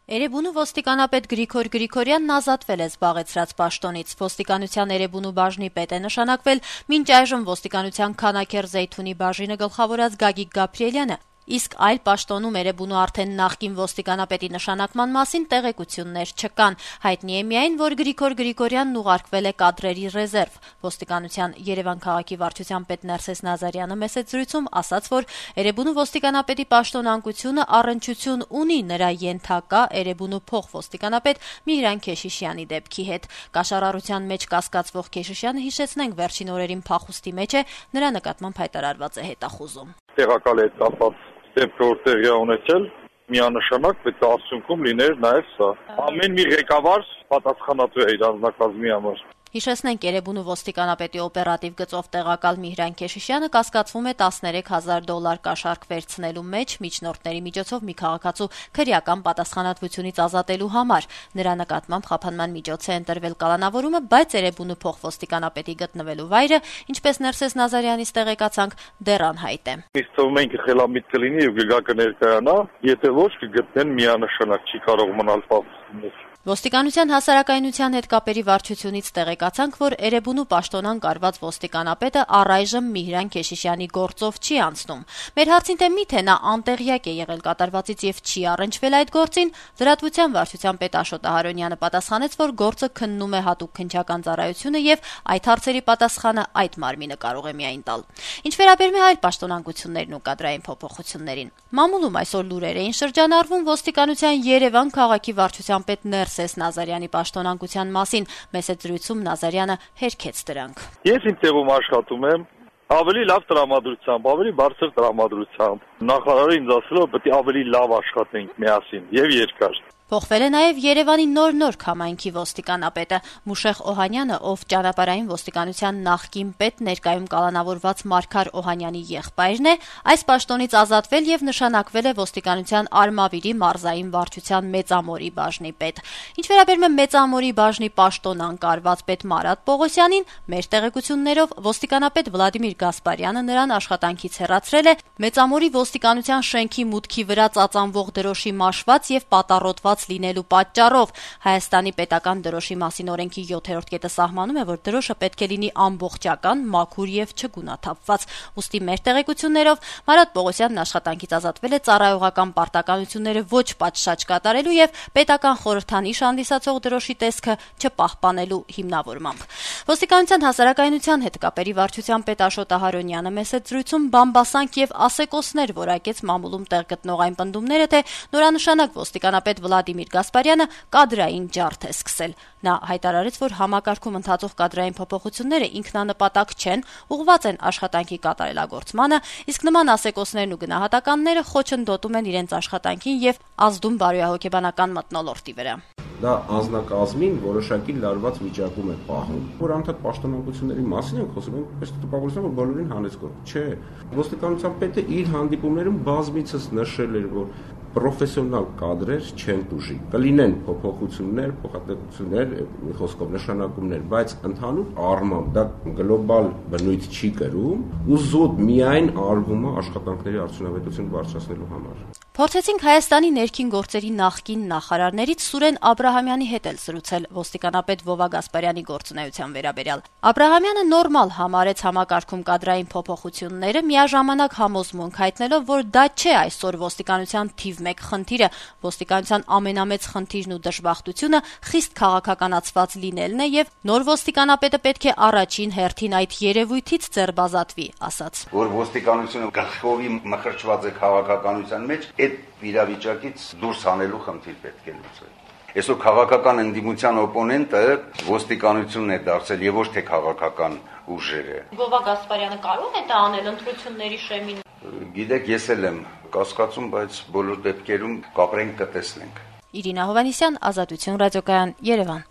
Էրեբունու ոստիկանապետ Գրիգոր Գրիգորյանն ազատվել է զբաղեցրած պաշտոնից։ Ոստիկանության Էրեբունու բաժնի պետ է նշանակվել մինչ այժմ ոստիկանության Քանաքեռ Զեյթունի բաժինը գլխավորած Գագիկ Գաբրիելյանը, իսկ այլ պաշտոնում Էրեբունու արդեն նախկին ոստիկանապետի նշանակման մասին տեղեկություններ չկան։ Հայտնի է միայն, որ Գրիգոր Գրիգորյանն ուղարկվել է կադրերի ռեզերվ։ Ոստիկանության Երևան քաղաքի վարչության պետ Ներսես Նազարյանը մեծ զրույցում ասաց, որ Էրեբունու ոստիկանապետի պաշտոնանկությունը առնչություն ունի նրա ենթակա Էրեբունու փոխոստիկանապետ Միհրան Քեշիշյանի դեպքի հետ։ Կաշառառության մեջ կասկածվող Քեշիշյանը, հիշեցնենք, վերջին օրերին փախուստի մեջ է, նրա նկատմամբ հայտարարված է հետախուզում։ Տեղակալ է կապված դեպքը, որ տեղի ունեցել, միանշանակ պետք է արդյունքում լիներ նաև սա։ Ամեն մի ղեկավար պատասխանատու է իր անձնակազմի համար։ Հիշեցնենք, Էրեբունու ոստիկանապետի օպերատիվ գծով տեղակալ Միհրան Քեշիշյանը կասկածվում է $13,000 կաշառք վերցնելու մեջ միջնորդների միջոցով մի քաղաքացու քրեական պատասխանատվությունից ազատելու համար։ Նրա նկատմամբ խափանման միջոց է ընտրվել կալանավորումը, բայց Էրեբունու փոխոստիկանապետի գտնվելու վայրը, ինչպես Ներսես Նազարյանից տեղեկացանք, դեռ անհայտ է։ Իսկ թվում ենք խելամիտ կլինի եւ գգա կներկայանա, եթե ոչ կգտնեն միանշանակ, չի կարող մնալ պարտադիր։ Ոստիկանության հասարակայնության հետ կապերի վարչությունից տեղեկացանք, որ Էրեբունու պաշտոնան կարված ոստիկանապետը առայժմ Միհրան Քեշիշյանի գործով չի անցնում։ Մեր հարցին թե միթե նա անտեղյակ է եղել կատարվածից եւ չի առնչվել այդ գործին, լրատվության վարչության պետ Աշոտ Ահարոնյանը պատասխանեց, որ գործը քննում է հատուկ քննչական ծառայությունը եւ այդ հարցերի պատասխանը այդ մարմինը կարող է միայն տալ։ Ինչ վերաբերում է այլ պաշտոնանկություններն ու կադրային փոփոխություններին, մամուլում այսօր լուրեր էին շրջանառվում ոստիկանության Երևան քաղաքի վարչության պետ Ներսես Նազարյանի պաշտոնանկության մասին։ Մեծ զրույցում Նազարյանը հերքեց դրանք։ Ես իմ տեղում աշխատում եմ ավելի լավ տրամադրությամբ, ավելի բարձր տրամադրությամբ։ Նախարարը ինձ ասել է, որ պետք է ավելի լավ աշխատենք միասին եւ երկար։ Փոխվել է նաև Երևանի նոր քամայնքի ոստիկանապետը Մուշեղ Օհանյանը, ով ճանապարհային ոստիկանության նախկին պետ, ներկայում կալանավորված Մարգար Օհանյանի եղբայրն է, այս պաշտոնից ազատվել եւ նշանակվել է ոստիկանության Արմավիրի մարզային վարչության Մեծամորի բաժնի պետ։ Ինչ վերաբերում է Մեծամորի բաժնի պաշտոնան կարված պետ Մարատ Պողոսյանին, մեր տեղեկություններով ոստիկանապետ Վլադիմիր Գասպարյանը նրան աշխատանքից հեռացրել է Մեծամորի ոստիկանության շենքի մուտքի վրա ծածանվող դրոշի մաշված եւ պատառոտված լինելու պատճառով։ Հայաստանի պետական դրոշի մասին օրենքի 7-րդ կետը սահմանում է, որ դրոշը պետք է լինի ամբողջական, մաքուր եւ չգունաթափված։ Ուստի մեր տեղեկություններով Մարատ Պողոսյանն աշխատանքից ազատվել է ծառայողական պարտականությունները ոչ պատշաճ կատարելու եւ պետական խորհրդանիշ հանդիսացող դրոշի տեսքը չպահպանելու հիմնավորմամբ։ Ոստիկանության հասարակայնության հետ կապերի վարչության պետ Աշոտ Ահարոնյանը մեծ զրույցում բամբասանք եւ ասեկոսներ որակեց մամուլում տեղ գտնող այն պնդումները, թե նորանշանակ ոստիկանապետ Վլադիմիր Գասպարյանը կադրային ջարդ է սկսել։ Նա հայտարարեց, որ համակարգում ընթացող կադրային փոփոխությունները ինքնանպատակ չեն, ուղղված են աշխատանքի կատարելագործմանը, իսկ նման ասեկոսներն ու գնահատականները խոչընդոտում են իրենց աշխատանքին եւ ազդում բարոյահոգեբանական մթնոլորտի վրա։ Դա անձնակազմին որոշակի լարված վիճակում է պահում, որ անդադ պաշտոնանկությունների մասին ենք խոսում, այս տպավորությունը, որ բոլորին հանեցկող չէ։ Ոստիկանության պետը իր հանդիպումներում բազմիցս նշել էր, որ պրոֆեսիոնալ կադրեր չեն տուժի։ Կլինեն փոփոխություններ, փոխհատուցություններ, մի խոսքով նշանակումներ, բայց ընդհանուր առմամբ դա գլոբալ բնույթ չի կրում, ու զուտ միայն արվում է աշխատանքների արդյունավետությունը բարձրացնելու համար։ Փորձեցինք Հայաստանի ներքին գործերի նախկին նախարարներից Սուրեն Աբրահամյանի հետ էլ զրուցել ոստիկանապետ Վովա Գասպարյանի գործունեության վերաբերյալ։ Աբրահամյանը նորմալ համարեց համակարգում կադրային փոփոխությունները, միաժամանակ համոզմունք հայտնելով, որ դա չէ այսօր ոստիկանության թիվ 1 խնդիրը։ Ոստիկանության ամենամեծ խնդիրն ու դժբախտությունը խիստ քաղաքականացված լինելն է եւ նոր ոստիկանապետը պետք է առաջին հերթին այդ երևույթից ձեռբազատվի, ասաց։ Որ ոստիկանությունը գլխովի մխրճված է քաղաքականության մեջ, այդ իրավիճակից դուրս հանելու խնդիր պետք է լուծել։ Այսօր քաղաքական ընդդիմության օպոնենտը ոստիկանությունն է դարձել եւ ոչ թե քաղաքական ուժերը։ Վովա Գասպարյանը կարող է դա անել ընտրությունների շեմին։ Գիտեք, ես էլ եմ կասկածում, բայց բոլոր դեպքերում կապրենք կտեսնենք։ Իրինա Հովանեսյան, Ազատություն ռադիոկայան, Երևան։